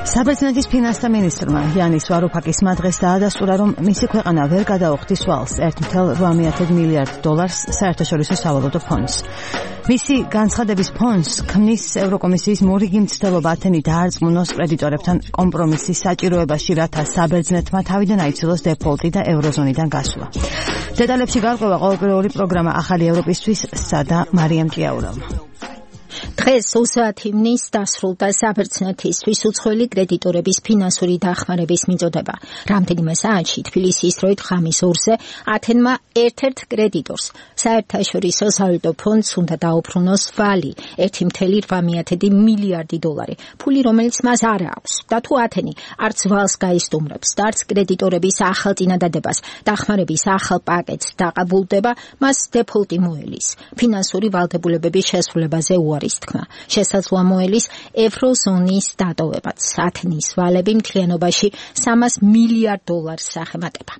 საბერძნეთის ფინანსთა მინისტრმა იანის ვარუფაკისმა დღეს დაადასტურა, რომ მისი ქვეყანა ვერ გადაუხდის ვალს $1.8 მილიარდ საერთაშორისო სავალუტო ფონდს. მისი განცხადების ფონდს ქმნის ევროკომისიის მორიგი მცდელობა ათენი დაარწმუნოს კრედიტორებთან კომპრომისის საჭიროებაში, რათა საბერძნეთმა თავიდან აიცილოს დეფოლტი და ევროზონიდან გასვლა. დეტალებში გარკვევა ყოველკვირეული პროგრამა ახალი ევროპისთვის სადა მარიამ ჭიაურავმა. დღეს 30 ივნის დასრულდა საბერძნეთისთვის უცხოელი კრედიტორების ფინანსური დახმარების მიწოდება. რამდენიმე საათში თბილისის დროით ხამის 2-ზე ათენმა ერთ-ერთ კრედიტორს საერთაშორისო სავალუტო ფონდს უნდა დაუბრუნოს ვალი $1.8 მილიარდი, ფული რომელიც მას არ აქვს. და თუ ათენი არც ვალს გაისტუმრებს და არც კრედიტორების ახალ წინადადებას დახმარების ახალ პაკეტს დაყაბულდება, მას დეფოლტი მოელის. ფინანსური ვალდებულებების შესრულებაზე უარის თქმა. შესაძლოა მოელის ევროზონის დატოვებაც. ათენის ვალები მთლიანობაში $300 მილიარდ აღემატება.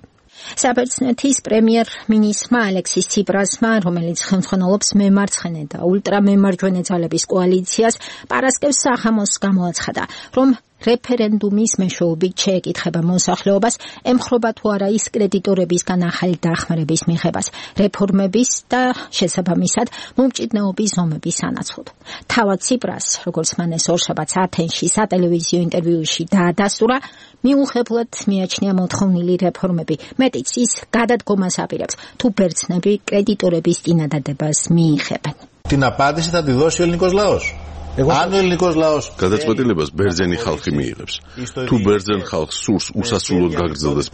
საბერძნეთის პრემიერ-მინისტრმა ალექსის ციპრასმა, რომელიც ხელმძღვანელობს მემარცხენე და ულტრამემარჯვენე ძალების კოალიციას, პარასკევს სახამოს გამოაცხადა, რომ რეფერენდუმის მეშვეობით შეეკითხება მოსახლეობას, ემხრობა თუ არა ის კრედიტორებისგან ახალი დახმარების მიღებას, რეფორმების და შესაბამისად მომჭიდნეობის ზომების სანაცვლოდ. თავად ციპრას, როგორც მანეს ორშაბათს ათენში სატელევიზიო ინტერვიუში დაადასტურა, მიუღებლად მიაჩნია მოთხოვნილი რეფორმები, მეტიც ის გადადგომას აპირებს, თუ ბერძნები კრედიტორების წინადადებას მიიღებენ. Την απάντηση θα τη δώσει ο ελληνικός λαός. Αν ο ελληνικός λαός გადაწყვეტილებას ბერძენი ხალხი მიიღებს. თუ ბერძენ ხალხს სურს უსასრულოდ გაგრძელდეს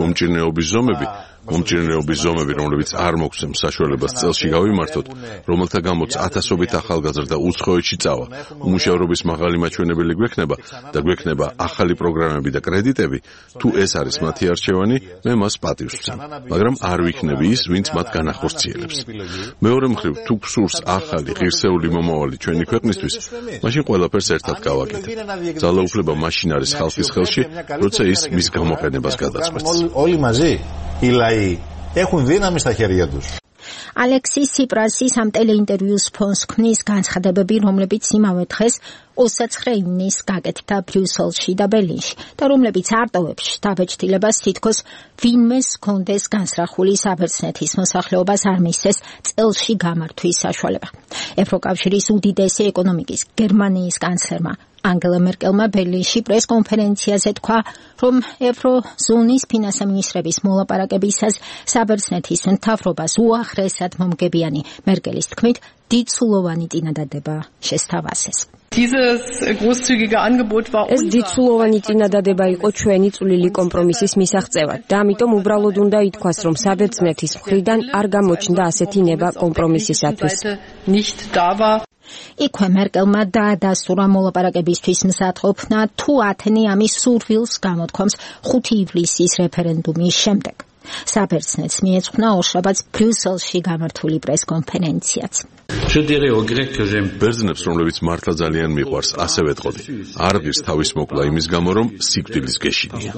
მომჭირნეობის ზომები, რომლებიც არ მოგცემს საშუალებას წელში გავიმართოთ, რომელთა გამოც ათასობით ახალგაზრდა უცხოეთში წავა, უმუშევრობის მაღალი მაჩვენებელი გვექნება ახალი პროგრამები და კრედიტები, თუ ეს არის მათი არჩევანი, მე მას პატივს ვცემ, მაგრამ არ ვიქნები ის, ვინც მათ განახორციელებს. მეორე მხრივ, თუ გსურს ახალი ღირსეული მომავალი ჩვენი ქვეყნისთვის, მაშინ ყველაფერს ერთად გავაკეთებ. ძალაუფლება მაშინ არის ხალხის ხელში, როცა ის მის გამოყენებას გადაწყვეტს. Όλοι μαζί οι λαοί έχουν δύναμη στα χέρια τους. ალექსის ციპრასის ამ ტელეინტერვიუს ფონს ქმნის განცხადებები, რომლებიც იმავე დღეს 29 ივნის გაკეთდა ბრიუსელში და ბერლინში და რომლებიც არტოვებს შთაბეჭდილებას თითქოს ვინმეს ჰქონდეს განსრახული საბერძნეთის მოსახლეობას არ მისცეს წელში გამართვის საშუალება. ევროკავშირის უდიდესი ეკონომიკის გერმანიის კანცლერმა ანგელა მერკელმა ბერლინში პრესკონფერენციაზე თქვა, რომ ევროზონის ფინანსთა მინისტრების მოლაპარაკებისას საბერძნეთის მთავრობას უახლესად მომგებიანი მერკელის თქმით დიდსულოვანი წინადადება შესთავაზეს. ეს დიდსულოვანი წინადადება იყო ჩვენი წვლილი კომპრომისის მისაღწევად და ამიტომ უბრალოდ უნდა ითქვას, რომ საბერძნეთის მხრიდან არ გამოჩნდა ასეთი ნება კომპრომისისათვის. იქვე მერკელმა დაადასტურა მოლაპარაკებისთვის მზადყოფნა, თუ ათენი ამის სურვილს გამოთქვამს 5 ივლისის რეფერენდუმის შემდეგ. საბერძნეთს მიეძღვნა ორშაბათს ბრიუსელში გამართული პრესკონფერენციაც. ბერძნებს, რომლებიც მართლა ძალიან მიყვარს, ასე ვეტყოდი. არ ღირს თავის მოკლა იმის გამო, რომ სიკვდილის გეშინია.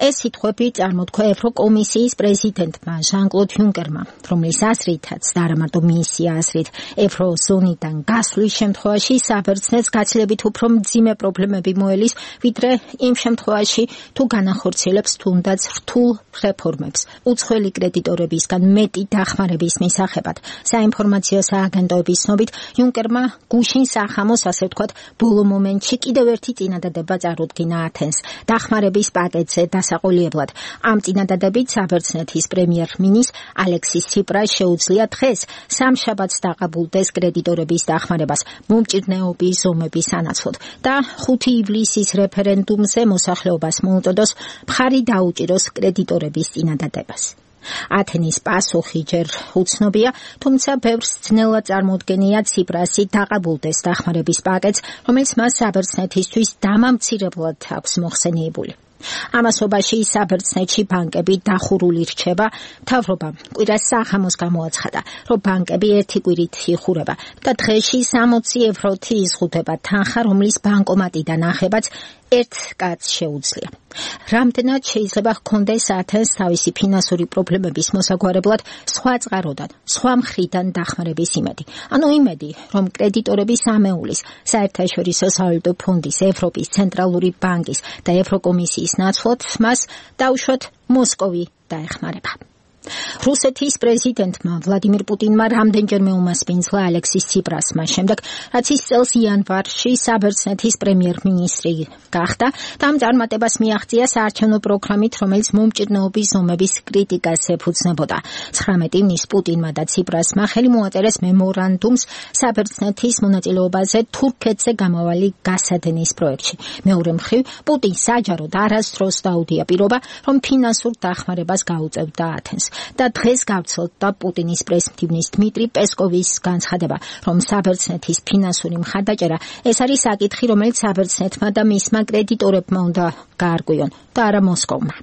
ეს სიტყვები წარმოთქვა ევროკომისიის პრეზიდენტმა ჟან-კლოდ იუნკერმა, რომლის აზრითაც და არა მარტო მისი აზრით, ევროზონიდან გასვლის შემთხვევაში საბერძნეთს გაცილებით უფრო მძიმე პრობლემები მოელის, ვიდრე იმ შემთხვევაში, თუ განახორციელებს თუნდაც რთულ რეფორმებს. უცხოელი კრედიტორებისგან მეტი დახმარების მისაღებად საინფორმაციო სააგენტოების ცნობით, იუნკერმა გუშინ სახამოს, ასე ვთქვათ, ბოლო მომენტში კიდევ ერთი წინადადება წარუდგინა ათენს დახმარების პაკეტზე დასაყოლებლად. ამ წინადადებით საბერძნეთის პრემიერ-მინისტრ ალექსის ციპრას შეუძლია დღეს სამშაბათს დაყაბულდეს კრედიტორების დახმარებას მომჭირნეობის ზომების სანაცვლოდ და 5 ივლისის რეფერენდუმზე მოსახლეობას მოუწოდოს მხარი დაუჭიროს კრედიტორების წინადადებას. ათენის პასუხი ჯერ უცნობია, თუმცა ბევრს ძნელად წარმოუდგენია ციპრასი დაყაბულდეს დახმარების პაკეტს, რომელიც მას საბერძნეთისთვის დამამცირებლად აქვს მოხსენიებული. ამასობაში საბერძნეთში ბანკები დახურული რჩება, მთავრობამ კვირას სახამოს გამოაცხადა, რომ ბანკები ერთი კვირით იხურება და დღეში 60 ევროთი იზღუდება თანხა, რომლის ბანკომატიდან ახებაც ერთ კაცს შეუძლია. რამდენად შეიძლება ჰქონდეს ათენს თავისი ფინანსური პრობლემების მოსაგვარებლად სხვა წყაროდან, სხვა მხრიდან დახმარების იმედი. ანუ იმედი, რომ კრედიტორების ამეულის, საერთაშორისო სავალუტო ფონდის, ევროპის ცენტრალური ბანკის და ევროკომისიის ნაცვლად მას დაუშვათ მოსკოვი დაეხმარება. რუსეთის პრეზიდენტმა ვლადიმირ პუტინმა რამდენჯერმე უმასპინძლა ალექსის ციპრასმა შემდეგ, რაც ის წელს იანვარში საბერძნეთის პრემიერ-მინისტრი გახდა და ამ წარმატებას მიაღწია საარჩევნო პროგრამით, რომელიც მომჭირნეობის ზომების კრიტიკას ეფუძნებოდა. 19 ივნის პუტინმა და ციპრასმა ხელი მოაწერეს მემორანდუმს საბერძნეთის მონაწილეობაზე თურქეთზე გამავალი გასადენის პროექტში. მეორე მხრივ, პუტინს საჯაროდ არასდროს დაუდია პირობა, რომ ფინანსურ დახმარებას გაუწევდა ათენს. და დღეს გავცელდა პუტინის პრესმდივნის დმიტრი პესკოვის განცხადება, რომ საბერძნეთის ფინანსური მხარდაჭერა ეს არის საკითხი, რომელიც საბერძნეთმა და მისმა კრედიტორებმა უნდა გაარკვიონ და არა მოსკოვმა.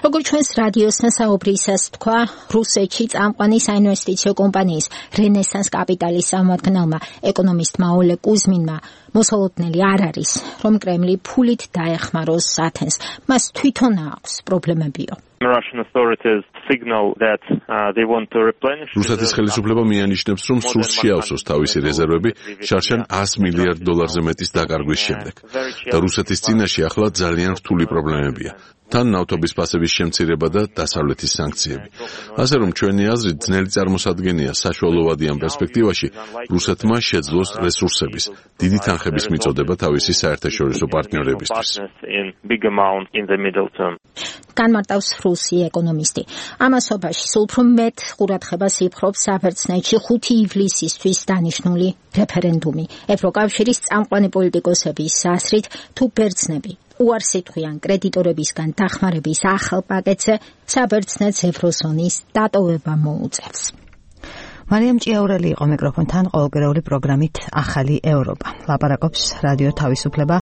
როგორც ჩვენს რადიოს საუბრისას თქვა, რუსეთში წამყვანი საინვესტიციო კომპანიის რენესანს კაპიტალის სამართალმა ეკონომისტმა ოლე კუზმინმა მოსალოდნელი არ არის, რომ კრემლი ფულით დაეხმაროს ათენს. მას თვითონ აქვს პრობლემებიო. რუსეთის ხელისუფლება მიანიშნებს, რომ სურს შეავსოს თავისი რეზერვები შარშან $100 მილიარდზე მეტის დაკარგვის შემდეგ. და რუსეთის წინაშე ახლა ძალიან რთული პრობლემებია. თან ნავთობის ფასების შემცირება და დასავლეთის სანქციები. ასე რომ ჩვენი აზრით ძნელი წარმოსადგენია საშუალოვადი ამ პერსპექტივაში რუსეთმა შეძლოს რესურსების, დიდი თანხების მიწოდება თავისი საერთაშორისო პარტნიორებისთვის. განმარტავს რუსი ეკონომისტი. ამასობაში სულ უფრო მეტ ყურადღებას იპყრობს საბერძნეთში 5 ივლისისთვის დანიშნული რეფერენდუმი. ევროკავშირის წამყვანი პოლიტიკოსების აზრით, თუ ბერძნები უარს იტყვიან კრედიტორებისგან დახმარების ახალ პაკეტზე, საბერძნეთს ევროზონის დატოვება მოუწევს. მარიამ ჭიაურელი იყო მიკროფონთან ყოველკვირეული პროგრამით ახალი ევროპა. ლაპარაკობს რადიო თავისუფლება